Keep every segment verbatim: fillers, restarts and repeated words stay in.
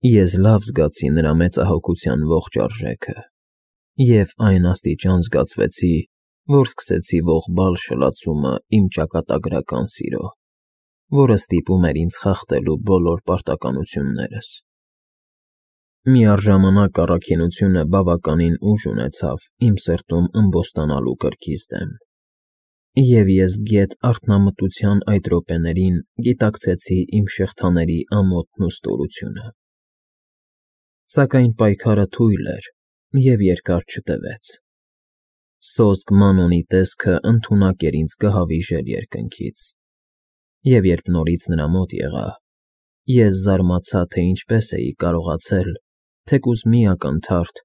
Ես լավ զգացի նրա մեծահոգության ողջ արժեքը և այն աստիճան զգացվեցի, որ սկսեցի ողբալ շլացումը իմ ճակատագրական սիրո, որը ստիպում էր ինձ խախտելու բոլոր պարտականություններս։ Միառժամանակ առաքինությունը բավականին ուժ ունեցավ իմ սրտում ըմբոստանալու կրքիս դեմ, և ես գեթ արթնամտության այդ րոպեներին գիտակցեցի իմ շղթաների ամոթն ու ստորությունը։ Սակայն պայքարը թույլ էր և երկար չտևեց։ Սոսկ Մանոնի տեսքը ընդունակ էր ինձ կհավիժեր երկնքից, և երբ նորից նրա մոտ եղա, ես զարմացա, թե ինչպես էի կարողացել, թեկուզ մի ակնթարթ,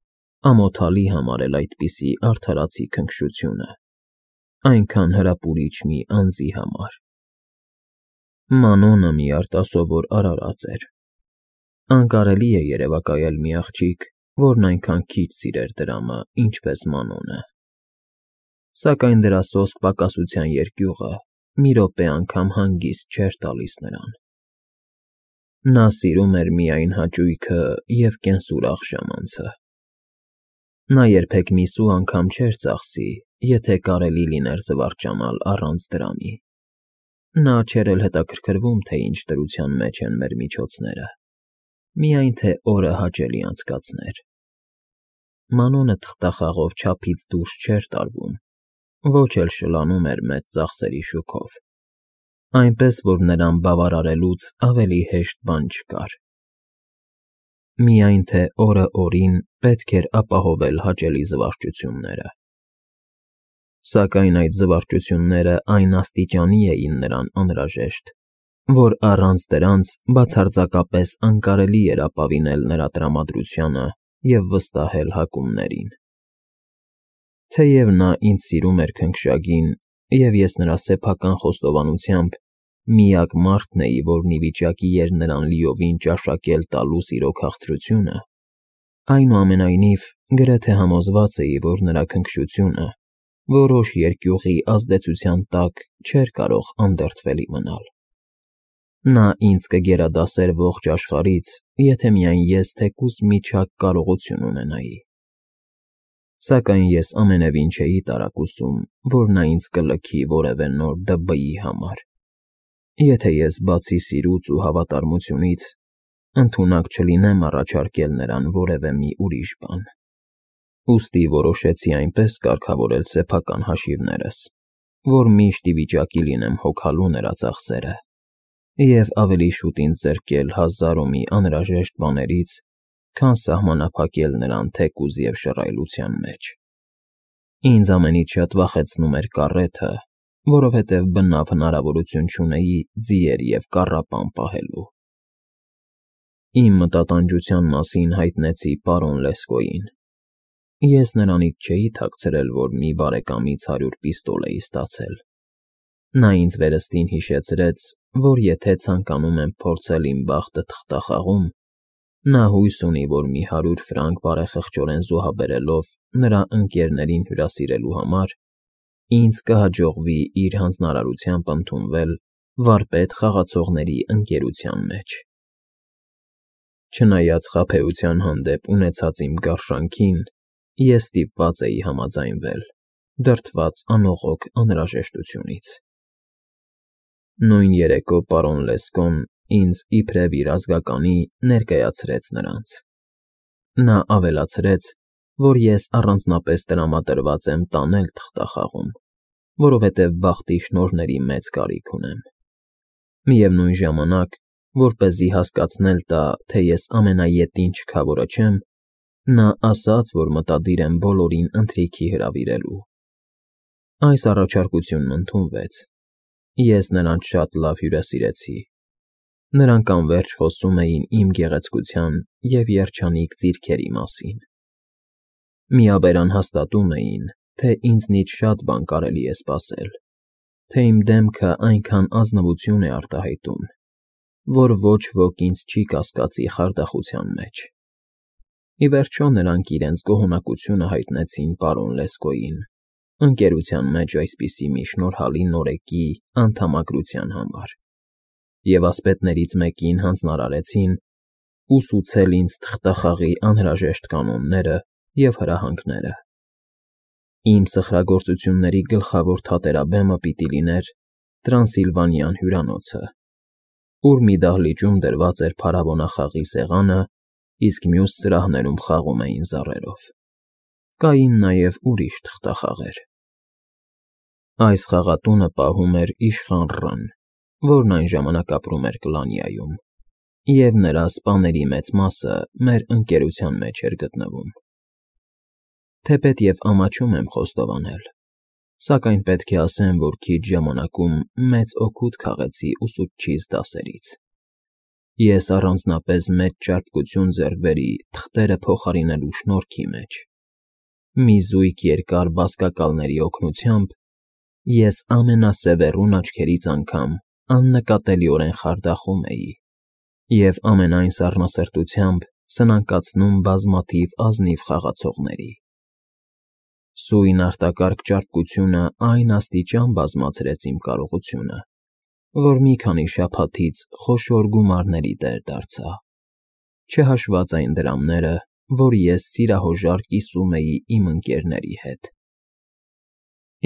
ամոթալի համարել այդպիսի արդարացի քնքշությունը, այնքան հրապուրիչ մի անձի համար։ Մանոնը մի արտասովոր արարած էր։ Անկարելի է երևակայել մի աղջիկ, որն այնքան քիչ սիրեր դրամը, ինչպես Մանոնը։ Սակայն դրա սոսկ պակասության երկյուղը մի րոպե անգամ հանգիստ չէր տալիս նրան։ Նա սիրում էր միայն հաճույքը և կենսուրախ ժամանցը։ Նա երբեք մի սու անգամ չէր ծախսի, եթե կարելի լիներ զվարճանալ առանց դրամի։ Նա չէր էլ հետաքրքրվում, թե ինչ դրության մեջ են մեր միջոցները, միայն թե օրը հաճելի անցկացներ։ Մանոնը թղթախաղով չափից դուրս չէր տարվում, ոչ էլ շլանում էր մեծ ծախսերի շուքով, այնպես որ նրան բավարարելուց ավելի հեշտ բան չկար։ Միայն թե օրը օրին պետք էր ապահովել հաճելի զվարճությունները։ Սակայն այդ զվարճությունները այն աստիճանի էին նրան անհրաժեշտ, որ առանց դրանց բացարձակապես անկարելի էր ապավինել նրա տրամադրությանը և վստահել հակումներին։ Թեև նա ինձ սիրում էր քնքշագին, և ես նրա սեփական խոստովանությամբ միակ մարդն էի, որն ի վիճակի էր նրան լիովին ճաշակել տալու սիրո քաղցրությունը, այնուամենայնիվ գրեթե համոզված էի, որ նրա քնքշությունը որոշ երկյուղի ազդեցության տակ չէր կարող անդրդվելի մնալ։ Նա ինձ կգերադասեր ողջ աշխարհից, եթե միայն ես թեկուզ մի չափ կարողություն ունենայի։ Սակայն ես ամենևին չէի տարակուսում, որ նա ինձ կլքի որևէ նոր Դը Բ֊ի համար, եթե ես բացի սիրուց ու հավատարմությունից ընդունակ չլինեմ առաջարկել նրան որևէ մի ուրիշ բան։ Ուստի որոշեցի այնպես կարգավորել սեփական հաշիվներս, որ միշտ ի վիճակի լինեմ հոգալու նրա ծախսերը և ավելի շուտ ինձ զրկել հազար ու մի անհրաժեշտ բաներից, քան սահմանափակել նրան թեկուզ և շռայլության մեջ։ Ինձ ամենից շատ վախեցնում էր կառեթը, որովհետև բնավ հնարավորություն չունեի ձիեր և կառապան պահելու։ Իմ մտատանջության մասին հայտնեցի պարոն Լեսկոյին։ Ես նրանից չէի թաքցրել, որ մի բարեկամից հարյուր պիստոլ էի ստացել։ Նա ինձ վերստին հիշեցրեց, որ եթե ցանկանում եմ փորձել իմ բախտը թղթախաղում, նա հույս ունի, որ մի հարյուր ֆրանկ բարեխղճորեն զոհաբերելով նրա ընկերներին հյուրասիրելու համար, ինձ կհաջողվի իր հանձնարարությամբ ընդունվել վարպետ խաղացողների ընկերության մեջ։ Չնայած խաբեության հանդեպ ունեցած իմ գարշանքին, ես ստիպված էի համաձայնվել, դրդված անողոք անհրաժեշտությունից։ Նույն երեկո պարոն Լեսկոն ինձ իբրև իր ազգականի ներկայացրեց նրանց։ Նա ավելացրեց, որ ես առանձնապես տրամադրված եմ տանել թղթախաղում, որովհետև բախտի շնորհների մեծ կարիք ունեմ։ Միևնույն ժամանակ, որպեսզի հասկացնել տա, թե ես ամենաետին չքավորը չեմ, նա ասաց, որ մտադիր եմ բոլորին ընթրիքի հրավիրելու։ Այս առաջարկությունն ընդունվեց։ Ես նրանց շատ լավ հյուրասիրեցի։ Նրանք անվերջ խոսում էին իմ գեղեցկության և երջանիկ ձիրքերի մասին։ Միաբերան հաստատում էին, թե ինձնից շատ բան կարելի է սպասել, թե իմ դեմքը այնքան ազնվություն է արտահայտում, որ ոչ ոք ինձ չի կասկածի խարդախության մեջ։ Ի վերջո նրանք իրենց գոհունակությունը հայտնեցին պարոն Լեսկոյին, ընկերության մեջ այսպիսի մի շնորհալի նորեկի անդամակրության համար, և ասպետներից մեկին հանձնարարեցին, ուսուցել ինձ թղթախաղի անհրաժեշտ կանոնները և հրահանգները։ Իմ սխրագործությունների գլխավոր թատերաբեմը պիտի լիներ Տրանսիլվանյան հյուրանոցը, ուր մի դահլիճում դրված էր փարավոնախաղի սեղանը, իսկ մյուս սրահներում խաղում էին զառերով։ Կային նաև ուրիշ թղթախաղեր։ Այս խաղատունը պահում էր իշխան Ռան, որն այն ժամանակ ապրում էր Կլանիայում, և նրա սպաների մեծ մասը մեր ընկերության մեջ էր գտնվում։ Թեպետև ամաչում եմ խոստովանել, սակայն պետք է ասեմ, որ քիչ ժամանակում մեծ օգուտ քաղեցի ուսուցչիս դասերից։ Ես առանձնապես մեծ ճարպկություն ձեռք բերի թղթերը փոխարինելու շնորհքի մեջ։ Մի զույգ երկար բազկակալների օգնությամբ ես ամենասևեռուն աչքերից անգամ աննկատելիորեն խարդախում էի և ամենայն սառնասրտությամբ սնանկացնում բազմաթիվ ազնիվ խաղացողների։ Սույն արտակարգ ճարպկությունը այն աստիճան բազմացրեց իմ կարողությունը, որ մի քանի շաբաթից խոշոր գումարների տեր դարձա, չհաշված այն դրամները, որ ես սիրահոժար կիսում էի իմ ընկերների հետ։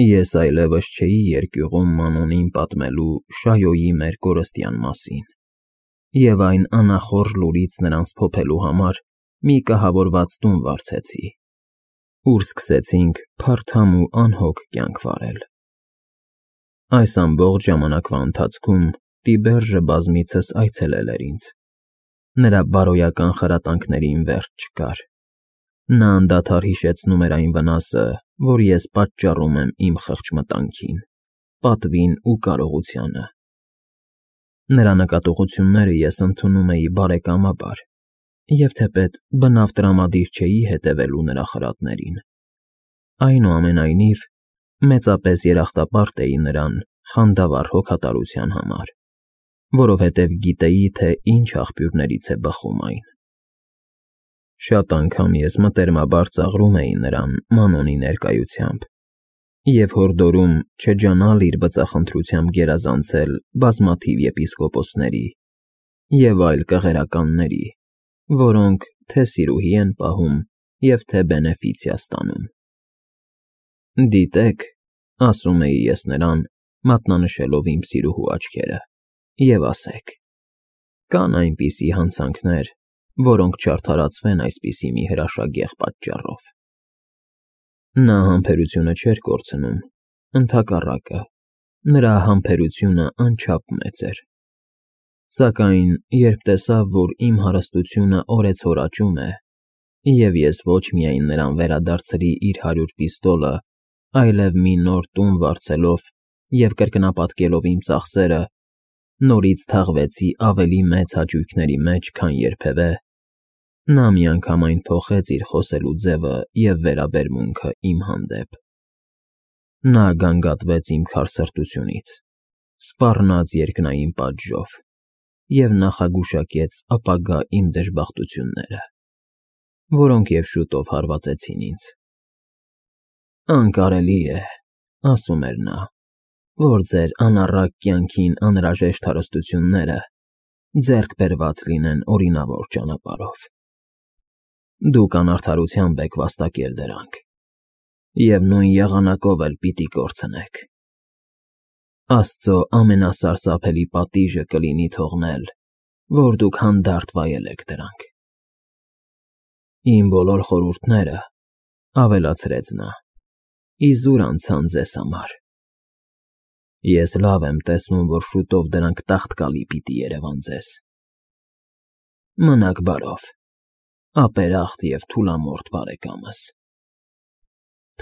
Ես այլևս չէի երկյուղում Մանոնին պատմելու Շայոյի մեր կորստյան մասին, և այն անախորժ լուրից նրանց փոփելու համար մի կահավորված տուն վարձեցի, ուր սկսեցինք փարթամ ու անհոգ կյանք վարել։ Այս ամբողջ ժամանակվա ընթացքում Տիբերժը բազմիցս այցելել էր ինձ։ Նրա բարոյական խրատանքներին վերջ չկար։ Նա անդադար հիշեցնում էր այն վնասը, որ ես պատճառում եմ իմ խղճմտանքին, պատվին ու կարողությանը։ Նրա նկատողությունները ես ընդունում էի բարեկամաբար, և թեպետ բնավ տրամադիր չէի հետևելու նրա խրատներին, այնուամենայնիվ, մեծապես երախտապարտ էի նրան խանդավառ հոգատարության համար, որովհետև գիտեի, թե ինչ աղբյուրներից է բխում այն։ Շատ անգամ ես մտերմաբար ծաղրում էի նրան Մանոնի ներկայությամբ և հորդորում չջանալ իր բծախնդրությամբ գերազանցել բազմաթիվ եպիսկոպոսների և այլ կղերականների, որոնք թե սիրուհի են պահում և թե բենեֆիցիա ստանում։ Դիտեք, ասում էի ես նրան, մատնանշելով իմ սիրուհու աչքերը, և ասեք. կան այնպիսի հանցանքներ, որոնք չարդարացվեն այսպիսի մի հրաշագեղ պատճառով։ Նա համբերությունը չէր կորցնում, ընդհակառակը, նրա համբերությունը անչափ մեծ էր։ Սակայն երբ տեսավ, որ իմ հարստությունը օրեցօր աճում է, և ես ոչ միայն նրան վերադարձրի իր հարյուր պիստոլը, այլև մի նոր տուն վարձելով և կրկնապատկելով իմ ծախսերը, նորից թաղվեցի ավելի մեծ հաճույքների մեջ, քան երբևէ, նա միանգամայն փոխեց իր խոսելու ձևը և վերաբերմունքը իմ հանդեպ։ Նա գանգատվեց իմ քարսրտությունից, սպառնաց երկնային պատժով և նախագուշակեց ապագա իմ դժբախտությունները, որոնք և շուտով հարվածեցին ինձ։ Անկարելի է, ասում էր նա, որ ձեր անառակ կյանքին անհրաժեշտ հարստությունները ձեռք բերված լինեն օրինավոր ճանապարհով։ Դուք անարդարությամբ եք վաստակել դրանք, և նույն եղանակով էլ պիտի կորցնեք։ Աստծո ամենասարսափելի պատիժը կլինի թողնել, որ դուք հանդարտ վայելեք դրանք։ Իմ բոլոր խորհուրդները, ավելացրեց նա, իզուր անցան ձեզ համար։ Ես լավ եմ տեսնում, որ շուտով դրանք տաղտկալի պիտի երևան ձեզ։ Մնաք բարով, ապերախտ և թուլամորթ բարեկամս։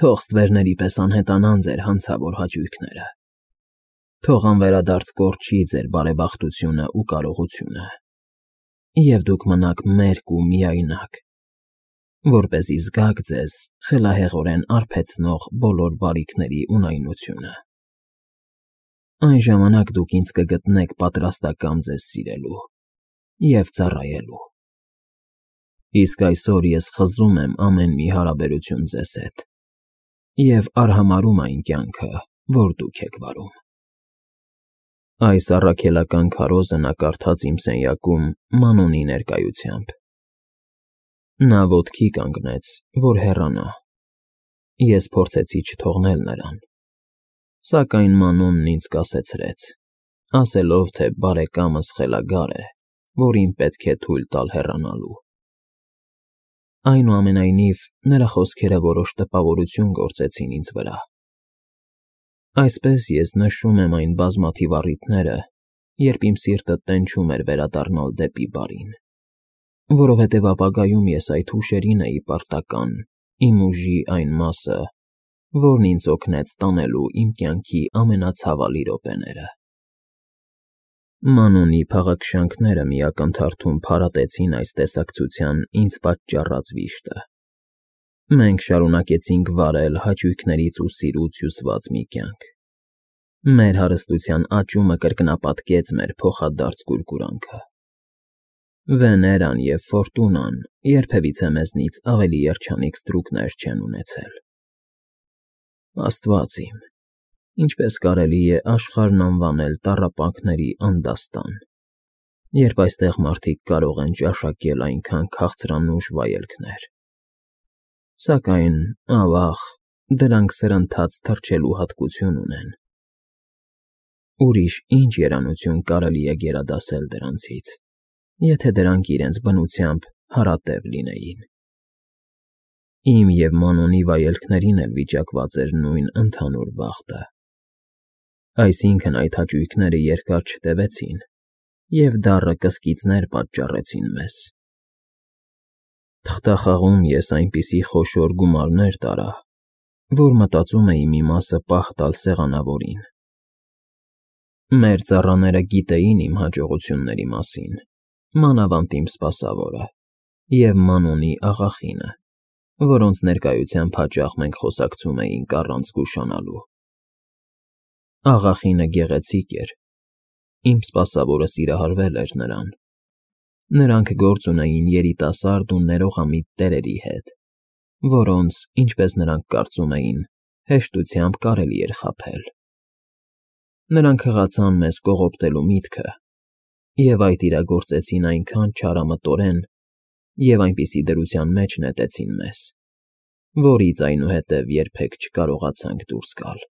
Թող ստվերների պես անհետանան ձեր հանցավոր հաճույքները։ Թող անվերադարձ կորչի ձեր բարեբախտությունն ու կարողությունը, և դուք մնաք մերկ ու միայնակ, որպեսզի զգաք ձեզ խելահեղորեն արբեցնող բոլոր բարիքների ունայնությունը։ Այն ժամանակ դուք ինձ կգտնեք պատրաստակամ ձեզ սիրելու և ծառայելու։ Իսկ այսօր ես խզում եմ ամեն մի հարաբերություն ձեզ հետ և արհամարհում այն կյանքը, որ դուք եք վարում։ Այս առաքելական քարոզը նա կարդաց իմ սենյակում Մանոնի ներկայությամբ։ Նա ոտքի կանգնեց, որ հեռանա։ Ես փորձեցի չթողնել նրան, սակայն Մանոնն ինձ կասեցրեց, ասելով, թե բարեկամս խելագար է, որին պետք է թույլ տալ հեռանալու։ Այնուամենայնիվ, նրա խոսքերը որոշ տպավորություն գործեցին ինձ վրա։ Այսպես ես նշում եմ այն բազմաթիվ առիթները, երբ իմ սիրտը տենչում էր վերադառնալ դեպի բարին, որովհետև ապագայում ես այդ հուշերին էի պարտական, իմ ուժի այն մասը, որն ինձ օգնեց տանելու իմ կյանքի ամենացավալի րոպեները։ Մանոնի փաղաքշանքները մի ակնթարթում փարատեցին այս տեսակցության ինձ պատճառած վիշտը։ Մենք շարունակեցինք վարել հաճույքներից ու սիրուց հյուսված մի կյանք։ Մեր հարստության աճումը կրկնապատկեց մեր փոխադարձ կուրկուրանքը։ Վեներան և Ֆորտունան երբևիցե մեզնից ավելի երջանիկ ստրուկներ չեն ունեցել։ Աստված իմ, ինչպես կարելի է աշխարհն անվանել տառապանքների անդաստան, երբ այստեղ մարդիկ կարող են ճաշակել այնքան քաղցրանուշ վայելքներ։ Սակայն, ավաղ, դրանք սրընթաց թռչելու հատկություն ունեն։ Ուրիշ ինչ երանություն կարելի է գերադասել դրանցից, եթե դրանք իրենց բնությամբ հարատև լինեին։ Իմ և Մանոնի վայելքներին էլ վիճակված էր նույն ընդհանուր բախտը։ Այսինքն այդ հաճույքները երկար չտևեցին և դառը կսկիծներ պատճառեցին մեզ։ Թղթախաղում ես այնպիսի խոշոր գումարներ տարա, որ մտածում էի մի մասը պահ տալ սեղանավորին։ Մեր ծառաները գիտեին իմ հաջողությունների մասին, մանավանդ իմ սպասավորը և Մանոնի աղախինը, որոնց ներկայությամբ հաճախ մենք խոսակցում էինք առանց զգուշանալու։ Աղախինը գեղեցիկ էր, իմ սպասավորը սիրահարվել էր նրան։ Նրանք գործ ունեին երիտասարդ ու ներողամիտ տերերի հետ, որոնց, ինչպես նրանք կարծում էին, հեշտությամբ կարելի էր խաբել։ Նրանք հղացան մեզ կողոպտելու միտքը և այդ իրագործեցին այնքան չարամտորեն և այնպիսի դրության մեջ նետեցին մեզ, որից այնուհետև երբեք չկարողացանք դուրս գալ։